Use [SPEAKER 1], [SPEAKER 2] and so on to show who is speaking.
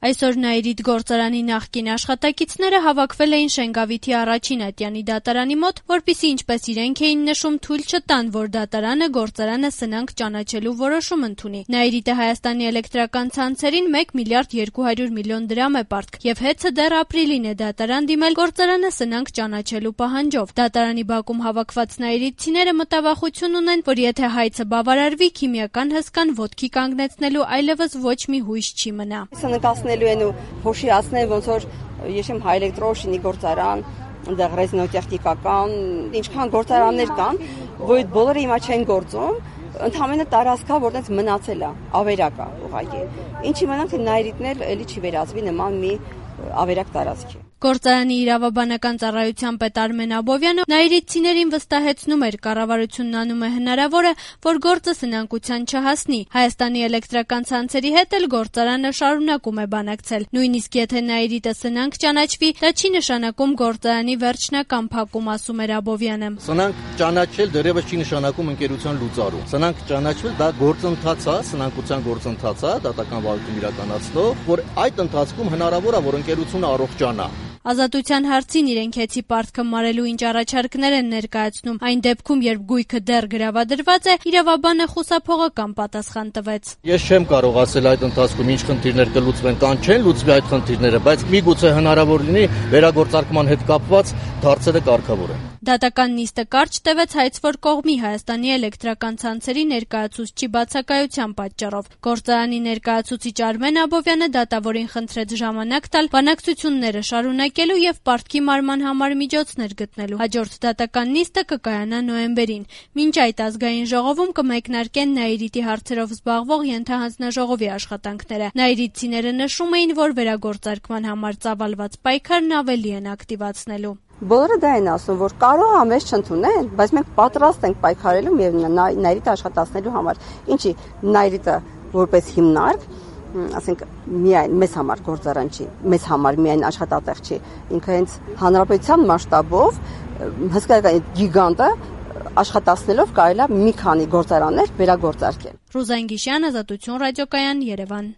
[SPEAKER 1] Այսօր Նաիրիթ գործարանի նախկին աշխատակիցները հավաքվել էին Շենգավիթի առաջին ատյանի դատարանի մոտ, որպեսզի ինչպես իրենք էին նշում, թույլ չտան, որ դատարանը գործարանը սնանկ ճանաչելու որոշում ընդունի։ Նաիրիթը Հայաստանի էլեկտրական ցանցերին 1 միլիարդ 200 միլիոն դրամ է պարտք, եւ հեծը դեռ ապրիլին է դատարան դիմել գործարանը սնանկ ճանաչելու պահանջով։ Դատարանի բակում հավաքված նաիրիթցիները մտավախություն ունեն, որ եթե հայցը բավարարվի, քիմիական հսկան ոտքի կանգնեցնելու այլևս ոչ մի հույս չի մնա։
[SPEAKER 2] Են ու հոշիացնել ոնց որ եշեմ հայէլեկտրոշինի գործարան, այնտեղ ռեզինոտեխնիկական, ինչքան գործարաններ կան, որ այդ բոլորը հիմա չեն գործում, ընդհանրապես տարածքա, որտեղ մնացել է, ավերակ է ուղղակի։ Ինչի մնանք թե Նաիրիթն էլ էլի չի վերածվի նման մի ավերակ տարածքի։
[SPEAKER 1] Գործարանի իրավաբանական ծառայության պետ Արմեն Աբովյանը նաիրիթցիներին վստահեցնում էր, կառավարությունն անում է հնարավորը, որ գործը սնանկության չհասնի։ Հայաստանի էլեկտրական ցանցերի հետ էլ գործարանը շարունակում է բանակցել։ Նույնիսկ եթե Նաիրիթը սնանկ ճանաչվի, դա չի նշանակում գործարանի վերջնական փակում, ասում էր Աբովյանը։
[SPEAKER 3] Սնանկ ճանաչել դեռևս չի նշանակում ընկերության լուծարում։ Սնանկ ճանաչվել դա գործընթաց է, սնանկության գործընթաց է, դատական վարույթում իրականացնող, որ այդ ընթացքում հնարավոր է, որ ընկերությունը առողջանա։
[SPEAKER 1] Ազատության հարցին իրենք հեծի պարտքը մարելու ինչ առաջարկներ են ներկայացնում։ Այն դեպքում, երբ գույքը դեռ գրավադրված է, իրավաբանը խուսափողական պատասխան տվեց։
[SPEAKER 3] Ես չեմ կարող ասել այդ ընթացքում ինչ խնդիրներ կլուծվեն կամ չեն լուծվի այդ խնդիրները, բայց միգուցե հնարավոր լինի վերագործարկման հետ կապված հարցերը կարգավորեն։
[SPEAKER 1] Դատական նիստը կարճ տևեց հայցվոր կողմի Հայաստանի էլեկտրական ցանցերի ներկայացուցչի բացակայության պատճառով։ Գործարանի ներկայացուցիչ Արմեն Աբովյանը դատավորին խնդրեց ժամանակ տալ բանակցությունները շարունակելու եւ պարտքի մարման համար միջոցներ գտնելու։ Հաջորդ դատական նիստը կկայանա նոյեմբերին։ Մինչ այդ ազգային ժողովում կմեկնարկեն Նաիրիթի հարցերով զբաղվող ենթահանձնաժողովի աշխատանքները։ Նաիրիթցիները նշում էին, որ վերագործարկման համար ծավալված պայքարն ավելի են ակտիվացնելու։
[SPEAKER 2] Բոլորը դա են ասում, որ կարող է մեզ չընդունեն, բայց մենք պատրաստ ենք պայքարելու եւ Նաիրիթը աշխատացնելու համար։ Ինչի Նաիրիթը որպես հիմնարկ, ասենք միայն մեզ համար գործարան չի, մեզ համար միայն աշխատատեղ չի, ինքը հենց հանրապետության մասշտաբով հսկայական գիգանտը աշխատացնելով կարելի է մի քանի գործարաններ վերագործարկել։
[SPEAKER 1] Ռուզան Գիշյան, Ազատություն ռադիոկայան, Երևան։